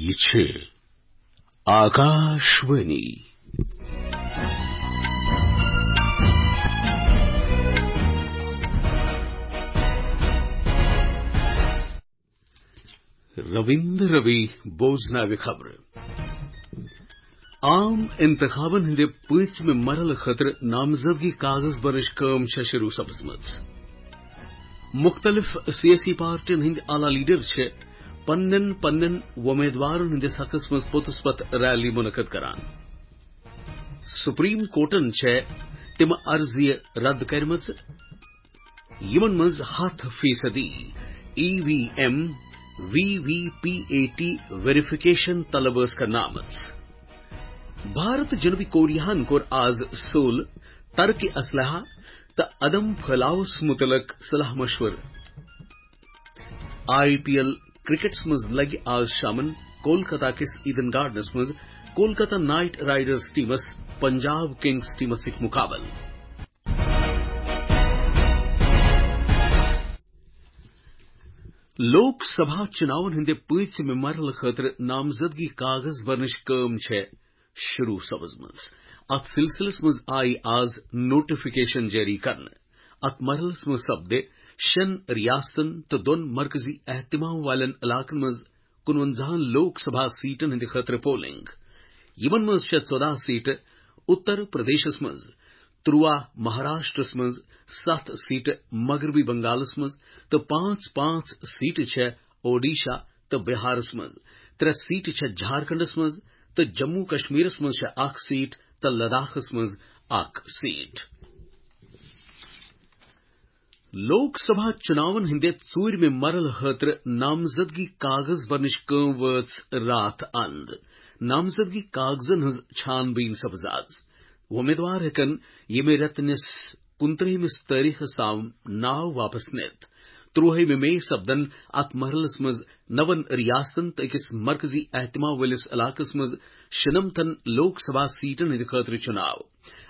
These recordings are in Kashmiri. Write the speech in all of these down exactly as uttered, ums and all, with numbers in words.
یہِ چھِ آکاشوانی۔ رویندر روی بوزناوِ خبرٕ۔ عام انتخابن ہٕنٛدِ پٲنٛژمہِ مرحلہٕ خٲطرٕ نامزدگی کاغذ بنٕچ کٲم چھےٚ شروع سپٕزمٕژ۔ مُختٔلِف سیٲسی پارٹین ہٕنٛدۍ اعلیٰ لیڈر چھِ پننٮ۪ن پننٮ۪ن وۄمیدوارن ہٕنٛدِس حقس منٛز پوٚتُس پتہٕ ریلی منعقد کران۔ سپریم کورٹن چھےٚ تِم عرضیہِ رد کرِمژٕ، یِمن منٛز ہَتھ فیصدی E V M, V V P A T verification طلب ٲس کرنہٕ آمٕژ۔ بھارت جنوبی کوریاہن کوٚر آز سول ترک اسلحہ تہٕ عدم پھٲلاوس متعلق صلاح مشورٕ۔ آئی پی ایل کرکٹس منٛز لگہِ آز شامن کولکتہ کِس ایڈن گارڈنس منٛز کولکتہ نائٹ رائیڈرز ٹیمس پنجاب کنگز ٹیمس سۭتۍ مقابلہٕ۔ لوک سبھا چُناون ہٕنٛدِ پٲنٛژمہِ مرحلہٕ خٲطرٕ نامزدگی کاغذ بھرنٕچ کٲم چھےٚ شروع سپٕزمٕژ۔ اتھ سلسلس منٛز آیہِ آز نوٹیفکیشن جٲری کرنہٕ۔ اتھ مرحلس منٛز سپدِ شٮ۪ن ریاستن تہٕ دۄن مرکزی اہتمام والٮ۪ن علاقن منٛز کُنوَنزاہن لوک سبھا سیٹن ہٕنٛدِ خٲطرٕ پولنگ۔ یِمن منٛز چھےٚ ژۄداہ سیٹہٕ اتر پردیشس منٛز، ترٛواہ مہاراشٹرس منٛز، ستھ سیٹہٕ مغربی بنگالس منٛز تہٕ پانٛژھ پانٛژھ سیٹہٕ چھےٚ اوڈیشہ تہٕ بہارس منٛز، ترٛےٚ سیٹہٕ چھےٚ جھارکھنڈس منٛز تہٕ جموں کشمیرس منٛز چھےٚ اکھ سیٹ تہٕ لداخس منٛز اکھ سیٹ۔ لوک سبھا چُناون ہٕنٛدِ ژوٗرمہِ مرحلہٕ خٲطرٕ نامزدگی کاغذ بھرنٕچ کٲم وٲژ راتھ اند۔ نامزدگی کاغذن ہٕنٛز چھان بیٖن سپٕز از۔ وۄمیدوار ہٮ۪کن ییٚمہِ رٮ۪تہٕ نِس کُنترٛہمِس تٲریخس تام ناو واپس نِتھ۔ ترٛوہمہِ مئی سپدن اتھ مرحلس منٛز نون ریاستن تہٕ أکِس مرکزی اہتمام وٲلِس علاقس منٛز شُنمتن لوک سبھا سیٹن ہٕنٛدِ خٲطرٕ چُناو۔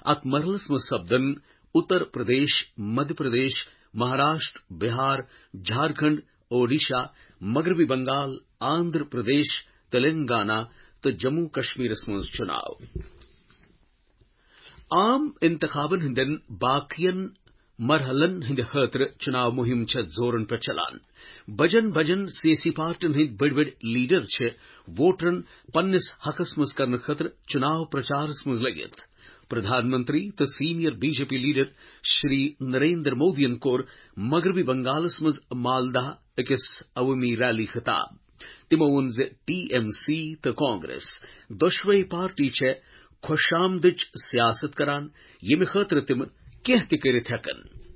اتھ مرحلس منٛز سپدن اتر پردیش، مدھیہ پردیش، مہاراشٹر، بہار، جھارکھنڈ، اوڈیشہ، مغربی بنگال، آندھرا پردیش، تلنگانہ تہٕ جموں کشمیرس منٛز چُناو۔ عام انتخابن ہٕنٛدٮ۪ن باقین مرحلن ہٕنٛدِ خٲطرٕ چُناو مُہِم چھےٚ زورن پٮ۪ٹھ چلان۔ بجن بجن سیٲسی پارٹین ہٕنٛدۍ بٔڑۍ بٔڑۍ لیڈر چھِ ووٹرن پننِس حقس منٛز کرنہٕ خٲطرٕ چُناو پرچارس منٛز لٔگِتھ۔ پردھان منتری تہٕ senior B J P leader Shri Narendra مودیَن کوٚر مغربی بنگالس منٛز مالدہ أکِس عوٲمی ریلی خطاب۔ تِمو ووٚن زِ ٹی ایم سی تہٕ کانگریس دۄشوے پارٹی چھےٚ خۄش آمدٕچ سیاست کران، ییٚمہِ خٲطرٕ تِم کینٛہہ تہِ کٔرِتھ ہٮ۪کن۔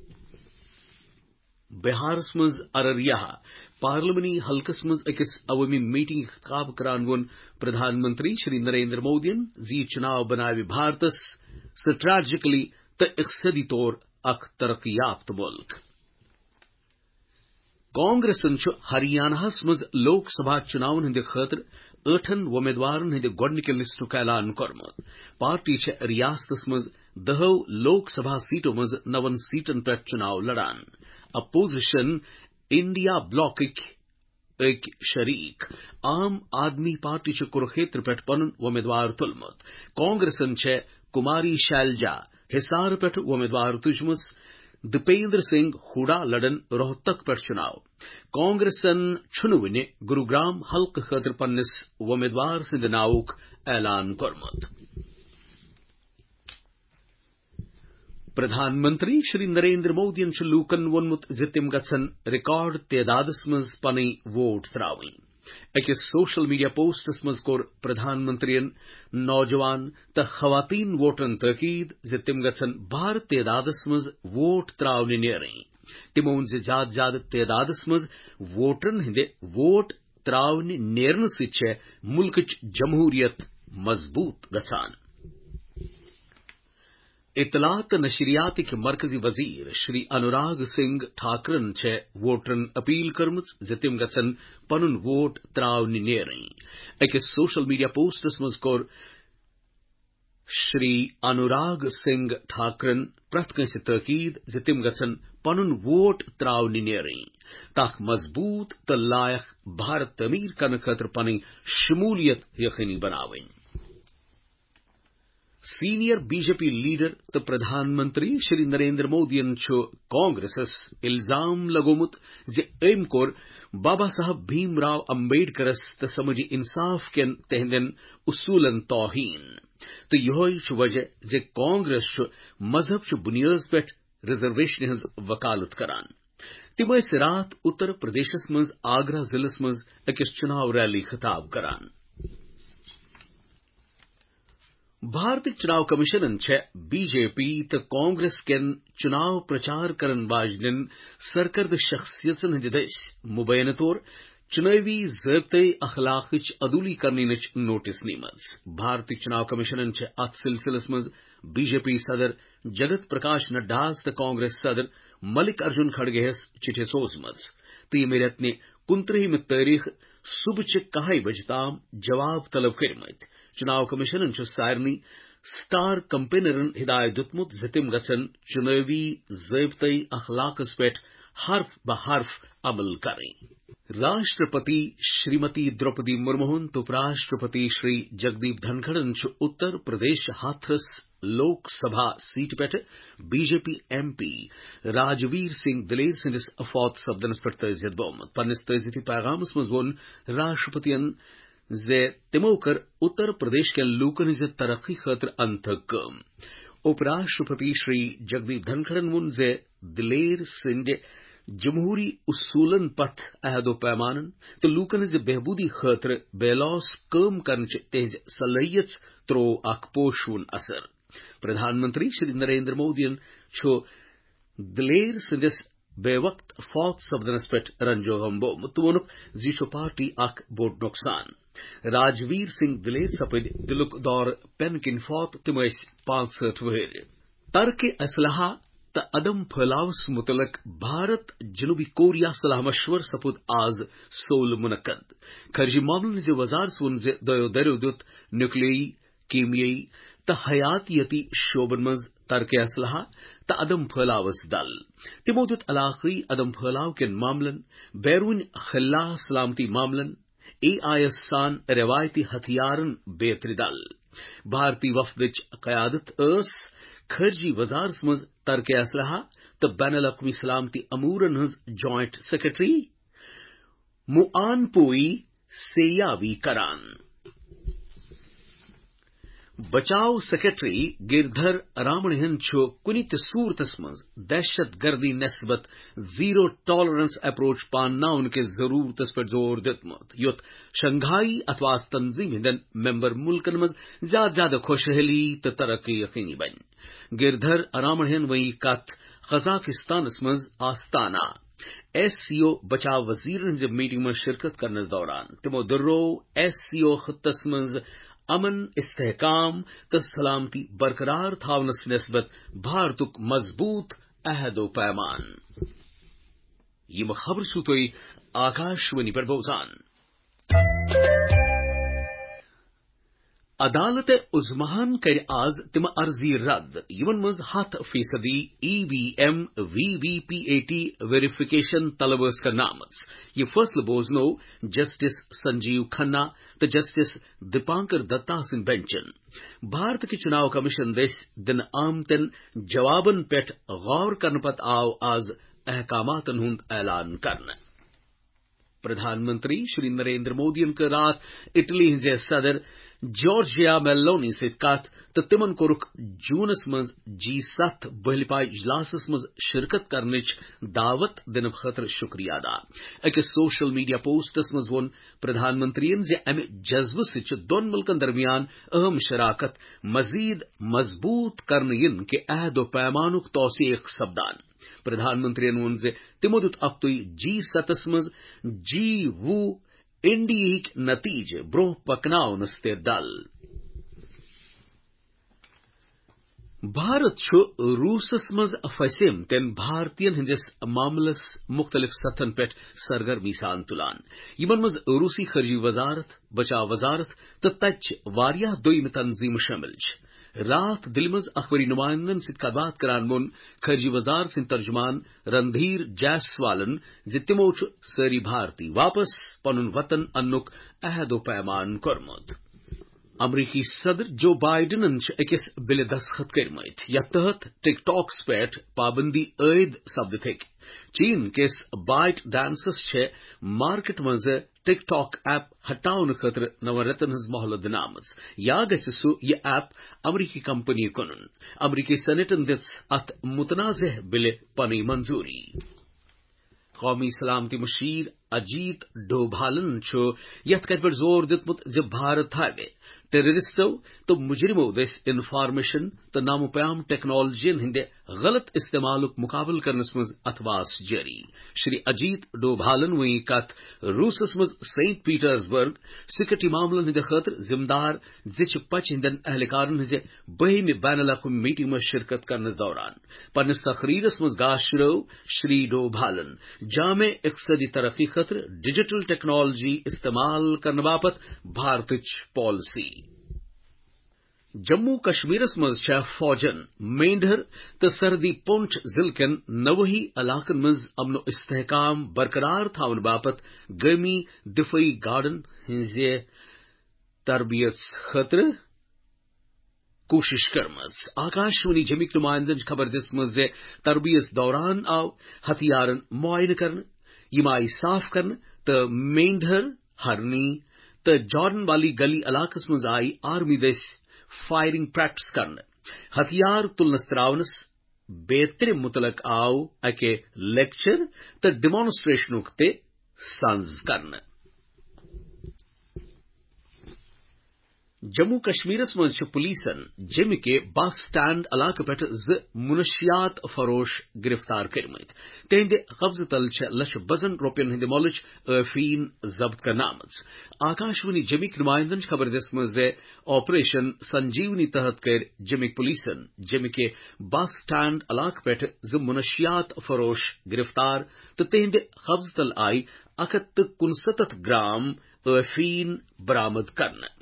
بہارس منٛز ارریہ پارلیمانی حلقس منٛز أکِس عوٲمی میٹنگ خطاب کران ووٚن پردھان منتری شری نریندر مودیَن زِ یہِ چُناو بناوِ بھارتس سٹریٹجکلی تہٕ اقتصٲدی طور اکھ ترقی یافتہٕ مُلک۔ کانگریسن چھُ ہریاناہس منٛز لوک سبھا چُناون ہٕنٛدِ خٲطرٕ ٲٹھن وۄمیدوارن ہٕنٛدِ گۄڈٕنِکہِ لسٹُک اعلان کوٚرمُت۔ پارٹی چھےٚ ریاستس منٛز دَہو لوک سبھا سیٹو منٛز نَوَن سیٹن پٮ۪ٹھ چُناو لڑان۔ اپوزیشن انڈیا بلاکٕکۍ أکۍ شریک عام آدمی پارٹی چھُ کُرُکھیتر پٮ۪ٹھ پنُن وۄمیدوار تُلمُت۔ کانگریسن چھےٚ کماری شیلجا حصار پٮ۪ٹھ وۄمیدوار تُجمٕژ۔ دیپیندر سنگھ ہوڈا لڑن روہتک پٮ۪ٹھ چُناو۔ کانگریسن چھُنہٕ وُنہِ گروگرام حلقہٕ خٲطرٕ پننِس وۄمیدوار سٕنٛدِ ناوُک اعلان کوٚرمُت۔ پردھان منتری شری نریندر مودیَن چھُ لوٗکَن ووٚنمُت زِ تِم گژھن ریکارڈ تعدادَس منٛز پنٕنۍ ووٹ ترٛاوٕنۍ۔ أکِس سوشل میڈیا پوسٹَس منٛز کوٚر پردھان منتریَن نوجوان تہٕ خواتین ووٹرَن تٲکید زِ تِم گژھن بھارٕ تعدادَس منٛز ووٹ ترٛاونہِ نیرٕنۍ۔ تِمو ووٚن زِ زیادٕ زیادٕ تعدادَس منٛز ووٹرَن ہٕنٛدِ ووٹ ترٛاونہِ نیرنہٕ سۭتۍ چھےٚ مُلکٕچ جمہوٗریت مضبوٗط گژھان۔ اطلاعات تہٕ نشریاتٕکۍ مرکزی وزیر شری انوراگ سنگھ ٹھاکرن چھےٚ ووٹرن اپیل کٔرمٕژ زِ تِم گژھن پنُن ووٹ ترٛاونہِ نیرٕنۍ۔ أکِس سوشل میڈیا پوسٹس منٛز کوٚر شری انوراگ سنگھ ٹھاکرن پرٛٮ۪تھ کٲنٛسہِ تٲکید زِ تِم گژھن پنُن ووٹ تراونہِ نیرٕنۍ، تاکہ مضبوط تہٕ لائق بھارت تعمیر کرنہٕ خٲطرٕ پنٕنۍ شمولیت یقینی بناوٕنۍ۔ Senior B J P leader تہٕ پردھان منتری شری نریندر مودیَن چھُ کانگریسس الزام لگومُت زِ أمۍ کوٚر بابا صاحب بھیم راو امبیڈکرس تہٕ سمٲجی انصاف کٮ۪ن تہنٛدٮ۪ن اصوٗلن توہین۔ تہٕ یِہوٚے چھُ وجہ زِ کانگریس چھُ مذہب چہِ بُنیٲدس پٮ۪ٹھ ریزرویشنہِ ہٕنٛز وکالت کران۔ تِم ٲسۍ راتھ اتر پردیشس منٛز آگرہ ضلعس منٛز أکِس چُناو ریلی خطاب کران۔ بھارتٕکۍ چُناو کمیشنن چھےٚ بی جے پی تہٕ کانگریس کٮ۪ن چُناو پرچار کرن واجنٮ۪ن سرکردٕ شخصیژن ہٕنٛدِ دٔسۍ مبینہٕ طور چُنٲوی ضٲبطے اخلاقٕچ عدولی کرنٕچ نوٹس نیمٕژ۔ بھارتٕکۍ چُناو کمیشنن چھےٚ اتھ سلسلس منٛز بی جے پی صدر جگت پرکاش نڈاہس تہٕ کانگریس صدر ملک ارجن کھڑگے ہس چٹھِ سوزمٕژ تہٕ ییٚمہِ رٮ۪تہٕ نہِ کُنترٛہمہِ تٲریخ صبحٕچہِ کاہہِ بجہِ تام جواب طلب کٔرمٕتۍ۔ چُناو کمیشنن چھُ سارنٕے سٹار کمپینرن ہدایت دیُتمُت زِ تِم گژھن چُنٲوی ضٲبطے اخلاقس پٮ۪ٹھ حرف بہ حرف عمل کرٕنۍ۔ راشٹرپتی شریمتی دروپدی مرموہن تہٕ اُپ راشٹرپتی شری جگدیپ دھنکھڑن چھُ اتر پردیش ہتھرس لوک سبھا سیٹہِ پٮ۪ٹھ B J P M P Rajveer Singh Diler سٕنٛدِس فوت سپدنس پٮ۪ٹھ تعزیت بومت۔ پننِس تعزیتی پیغامس منٛز ووٚن راشٹرپتین زِ تِمو کٔر اتر پردیش کٮ۪ن لوٗکن ہٕنٛزِ ترقی خٲطرٕ انتھک کٲم۔ اُپ راشٹرپتی شری جگدیپ دھنکھڑن ووٚن زِ دلیر سٕنٛدِ جمہوری اصوٗلن پتھ عہد و پیمانن تہٕ لوٗکن ہٕنٛزِ بہبوٗدی خٲطرٕ بے لوث کٲم کرنٕچ تِہنٛز صلٲحیژ تروو اکھ پوشوُن اثر۔ پردھان منتری شری نریندر مودیَن چھُ دلیر سٕنٛدِس بے وقت فوت سپدنس پٮ۪ٹھ رنج و غم بومت تہٕ ووٚنُکھ زِ یہِ چھُ پارٹی اکھ بوٚڑ نۄقصان۔ راجویر سنگھ دلیر سپٕدۍ دِلُک دورٕ پٮ۪نہٕ کِنۍ فوت، تِم ٲسۍ پانٛژہٲٹھ وٕہٕرۍ۔ ترک اسلحہ تہٕ عدم پھٲلاوس متعلق بھارت جنوبی کوریا صلاح مشور سپُد آز سول منعقد۔ خارجی معاملن ہٕنٛزِ وزارت ووٚن زِ دۄیو دریو دیُت نیوکلیائی، کیمیٲئی تہٕ حیاتیٲتی شعبن منٛز ترک اسلحہ تہٕ عدم پھٲلاوس دل۔ تِمو دیُت علاقٲئی عدم پھٲلاو کٮ۪ن معاملن، بیرون خلا سلامتی معاملن، اے آئی ایس سان روایتی ہتھیارن بیترِ دل۔ بھارتی وفدٕچ قیادت ٲس خارجی وزارتس منٛز ترک اسلحہ تہٕ بین الاقوامی سلامتی امورن ہٕنٛز جوائنٹ سیکرٹری موان پوئی سیاوی کران۔ بچاو سیکرٹری گردھر رامنہن چھُ کُنہِ تہِ صورتس منٛز دہشت گردی نسبت زیرو ٹالرنس اپروچ پانناونہٕ کِس ضرورتس پٮ۪ٹھ زور دیُتمُت، یُتھ شنگھائی اتھواس تنظیم ہٕنٛدٮ۪ن ممبر ملکن منٛز زیادٕ زیادٕ خوشحالی تہٕ ترقی یقینی بنہِ۔ گردھر رامنہن وۄنۍ یہِ کتھ قزاقستانس منٛز آستانہ ایس سی او بچاو وزیرن ہٕنٛزِ میٹنگ منٛز شرکت کرنس دوران۔ تِمو دۄہرو ایس سی او خطس منٛز امن، استحکام تہٕ سلامتی برقرار تھاونس نسبت بھارتُک مضبوط عہد و پیمان۔ یِم خبرٕ چھِو تُہۍ آکاشوانی پٮ۪ٹھ بوزان۔ عدالت عظماہن کَرِ آز تِم عرضی رد، یِمن منٛز ہَتھ فیصدی E V M, V V P A T verification طلب ٲس کرنہٕ آمٕژ۔ یہِ فٲصلہٕ بوزنوو جسٹس سنجیو کھنہ تہٕ جسٹس دیپانکر دتا سٕنٛدِ بنچن۔ بھارت کہِ چُناو کمیشن دٔسۍ دِنہٕ آمتٮ۪ن جوابن پٮ۪ٹھ غور کرنہٕ پتہٕ آو آز احکاماتن ہُنٛد اعلان کرنہٕ۔ پردھان منتری شری نریندر مودیَن کٔر راتھ اٹلی ہٕنٛزِ صدر جارجیا میلونی سۭتۍ کتھ تہٕ تِمن کوٚرُکھ جوٗنس منٛز جی ستھ بٔہلہِ پایہِ اجلاسس منٛز شرکت کرنٕچ دعوت دِنہٕ خٲطرٕ شُکریہ ادا۔ أکِس سوشل میڈیا پوسٹس منٛز ووٚن پردھان منتریَن زِ امہِ جذبہٕ سۭتۍ چھُ دۄن مُلکن درمیان اہم شراکت مزید مضبوط کرنہٕ یِنہٕ کہِ عہد و پیمانُک توثیق سپدان۔ پردھان منتریَن ووٚن زِ تِمو دیُت اکھتُے جی ستس منٛز جی وُہ انڈیہٕکۍ نتیجہٕ برونٛہہ پکناونس تہِ دل۔ بھارت چھُ روٗسس منٛز پھسیمتٮ۪ن بھارتین ہٕنٛدِس معاملس مُختٔلِف سطحن پٮ۪ٹھ سرگرمی سان تُلان، یِمن منٛز روٗسی خارجی وزارت، بچاو وزارت تہٕ تتہِ چھِ واریاہ دوٚیمہِ تنظیمہٕ شٲمِل چھِ۔ راتھ دِلہِ منٛز اخبٲری نمائندن سۭتۍ کتھ باتھ کران ووٚن خارجہ وزارت سٕنٛدۍ ترجمان رندھیر جیسوالن زِ تِمو چھُ سٲری بھارتی واپس پنُن وطن اننُک عہد و پیمان کوٚرمُت۔ امریکی صدر جو بائیڈنن چھِ أکِس بلہِ دستخط کٔرمٕتۍ، یتھ تحت ٹک ٹاکس پٮ۪ٹھ پابندی عائد سپدِتھ ہیٚکہِ۔ چین کِس بائٹ ڈانسس چھےٚ مارکیٹ منٛز ٹک ٹاک ایپ ہٹاونہٕ خٲطرٕ نَوَن رٮ۪تن ہٕنٛز مۄہلت دِنہٕ آمٕژ۔ یا گژھِ سُہ یہِ ایپ امریکی کمپنی کٕنُن۔ امریکی سینیٹن دِژ اتھ متنازعہ بلہِ پنٕنۍ منظوٗری۔ قومی سلامتی مشیر اجیت ڈوبھالن چھُ یتھ کتھِ پٮ۪ٹھ زور دیُتمُت زِ بھارت تھاوِ ٹیررسٹو تہٕ مجرمو دٔسۍ انفارمیشن تہٕ نامہ پیام ٹیکنالوجین ہٕنٛدِ غلط استعمالُک مقابلہٕ کرنس منٛز اتھواس جٲری۔ شری اجیت ڈوبھالن وۄنۍ کتھ روٗسس منٛز سینٹ پیٹرسبرگ سیکورٹی معاملن ہٕنٛدِ خٲطرٕ ذمہٕ دار زِ چھِ پچہِ ہٕنٛدٮ۪ن اہلکارن ہٕنٛزِ بٔہمہِ بین الاقوٲمی میٹنگ منٛز شرکت کرنس دوران۔ پننِس تقریرس منٛز گاشرٲو شری ڈوبھالن جامع اقتصادی ترقی خٲطرٕ ڈیجیٹل ٹیکنالوجی استعمال کرنہٕ باپتھ بھارتٕچ پالیسی۔ جموں کشمیرس منٛز چھےٚ فوجن مینڈھر تہٕ سرحدی پونچھ ضلعہٕ کٮ۪ن نوٲحی علاقن منٛز امن و استحکام برقرار تھاونہٕ باپتھ گٲمی دفٲعی گارڈن ہٕنٛزِ تربیت خٲطرٕ کوٗشش کٔرمٕژ۔ آکاشوانی جمِکۍ نمائندن چھِ خبر دِژمٕژ زِ تربیت دوران آو ہتھیارن معائنہٕ کرنہٕ، یِم آیہِ صاف کرنہٕ تہٕ مینڈھر، ہرنی تہٕ جارڈن والی گلی علاقس منٛز آیہِ آرمی دٔسۍ فائرنگ پریکٹس کرنہٕ۔ ہتھیار تُلنس تراونس بیترِ متعلق آو اکہِ لیکچر تہٕ ڈیمانسٹریشنُک تہِ سنز کرنہٕ۔ جموں کشمیرس منٛز چھِ پولیسن جیمہِ کہِ بس سٹینڈ علاقہٕ پٮ۪ٹھ زٕ منشیات فروش گرفتار کٔرمٕتۍ۔ تِہنٛدِ قبضہٕ تل چھےٚ لچھِ بزن رۄپین ہٕنٛدِ مۄلٕچ ٲفیٖن ضبط کرنہٕ آمٕژ۔ آکاشوانی جیمِکۍ نمائندن چھِ خبر دِژمٕژ زِ آپریشن سنجیونی تحت کٔرۍ جیمِکۍ پولیسن جیمہِ کہِ بس سٹینڈ علاقہٕ پٮ۪ٹھ زٕ منشیات فروش گرفتار تہٕ تِہنٛدِ قبضہٕ تل آیہِ اکھ ہتھ تہٕ کُنستتھ گرام ٲفیٖن برآمد کرنہٕ۔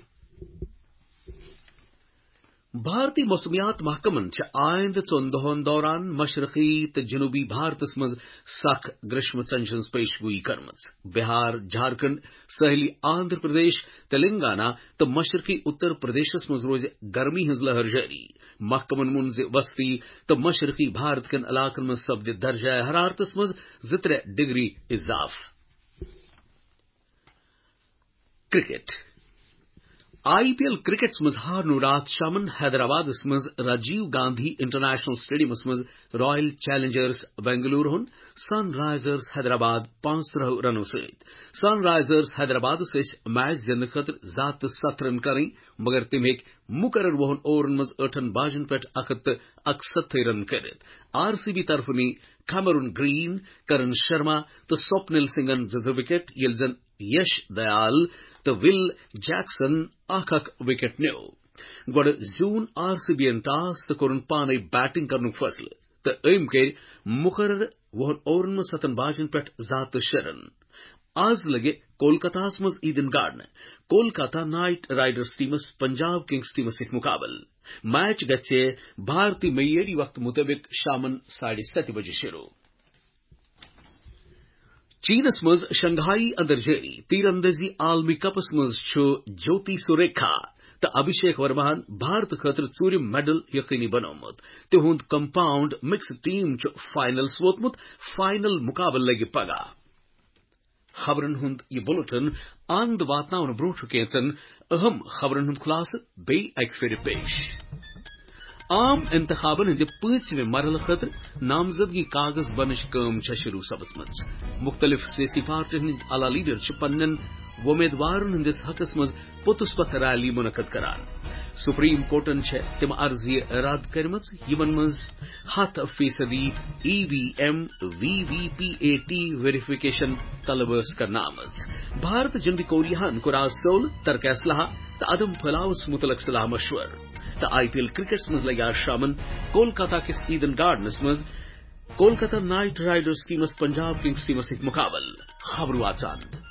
بھارتی موسمیات محکمن چھِ آیندٕ ژۄن دۄہن دوران مشرقی تہٕ جنوبی بھارتس منٛز سخ گریشمہٕ ژنجہِ ہٕنٛز پیش گویی کٔرمٕژ۔ بہار، جھارکھنڈ، ساحلی آندھرا پردیش، تلنگانہ تہٕ مشرقی اتر پردیشس منٛز روزِ گرمی ہٕنٛز لہر جٲری۔ محکمن ووٚن زِ وسطی تہٕ مشرقی بھارت کٮ۪ن علاقن منٛز سپدِ درجہ حرارتس منٛز زٕ ترٛےٚ ڈگری اضافہٕ۔ کرکٹ۔ آئی پی ایل کرکٹس منٛز ہارنو راتھ شامن حیدرآبادس منٛز راجیو گاندھی انٹرنیشنل اسٹیڈیمس منٛز رائل چیلنجرز بنگلورو ہن سن رائزرز حیدرآباد پانٛژترٕٛہ رنو سۭتۍ۔ سن رائزرز حیدرآبادس ٲسۍ میچ زیننہٕ خٲطرٕ زٕ ہتھ تہٕ ستھ رن کرٕنۍ، مگر تٔمۍ ہیٚکۍ مقرر وُہن اوورن منٛز ٲٹھن باجن پٮ۪ٹھ اکھ ہتھ تہٕ اکستتھٕے رن کٔرِتھ۔ آر سی بی طرفہٕ نی کھمرون گرین، کرن شرما تہٕ سوپنل سنگھن زٕ زٕ وکٹ، ییٚلہِ زن یش دیال تہٕ ول جیکسن اکھ اکھ وکٹ نیوو۔ گۄڈٕ زیوٗن آر سی بی یَن ٹاس تہٕ کوٚرُن پانے بیٹنگ کرنُک فٲصلہٕ تہٕ أمۍ کٔرۍ مقررٕ وُہن اوورن منٛز ستن باجن پٮ۪ٹھ زٕ ہتھ تہٕ شےٚ رن۔ آز لگہِ کولکتہس منٛز ایڈن گارڈنہٕ کولکتہ نائٹ رائیڈرز ٹیمس پنجاب کنگز ٹیمس سۭتۍ مقابلہٕ۔ میچ گژھِ بھارتی معیٲری وقتہٕ مُطٲبِق شامن ساڑھے ستہِ بجہِ شروع۔ چینس منٛز شنگھائی اندر جٲری تیر اندازی عالمی کپس منٛز چھُ جوتی سوریکھا تہٕ ابھیشیک ورماہن بھارت خٲطرٕ ژوٗرِم میڈل یقینی بنوومُت۔ تِہُنٛد کمپاؤنڈ مکسڈ ٹیم چھُ فائنلس ووتمُت۔ فائنل مقابلہٕ لگہِ پگاہ۔ خبرن ہُنٛد یہِ بلیٹن اند واتناونہٕ برونٛہہ چھُ کینٛژن اہم خبرن ہُنٛد خلاصہٕ بیٚیہِ اکہِ پھِرِ پیش۔ عام انتخابن ہٕنٛدِ پٲنٛژمہِ مرحلہٕ خٲطرٕ نامزدگی کاغذ بنٕچ کٲم چھےٚ شروع سپٕزمٕژ۔ مُختٔلِف سیٲسی پارٹین ہٕنٛدۍ اعلیٰ لیڈر چھِ پننٮ۪ن وۄمیدوارن ہٕنٛدِس حقس منٛز پوٚتُس پتھ ریلی منعقد کران۔ سپریم کورٹن چھےٚ تِم عرضیہِ رد کٔرمٕژ، یِمن منٛز ہتھ فیصدی E V M, V V P A T verification طلب ٲس کرنہٕ آمٕژ۔ بھارت جنوبی کوریاہن کوٚر آز سول ترک اسلحہ تہٕ عدم پھٲلاوس مُتعلق صلاح مشورٕ۔ تہٕ آئی پی ایل کرکٹس منٛز لگہِ آز شامن کولکتہ کِس ایڈن گارڈنس منٛز کولکتہ نائٹ رائیڈرز ٹیمس پنجاب کنگز ٹیمس سۭتۍ مقابلہٕ۔ خبرٕ واژان۔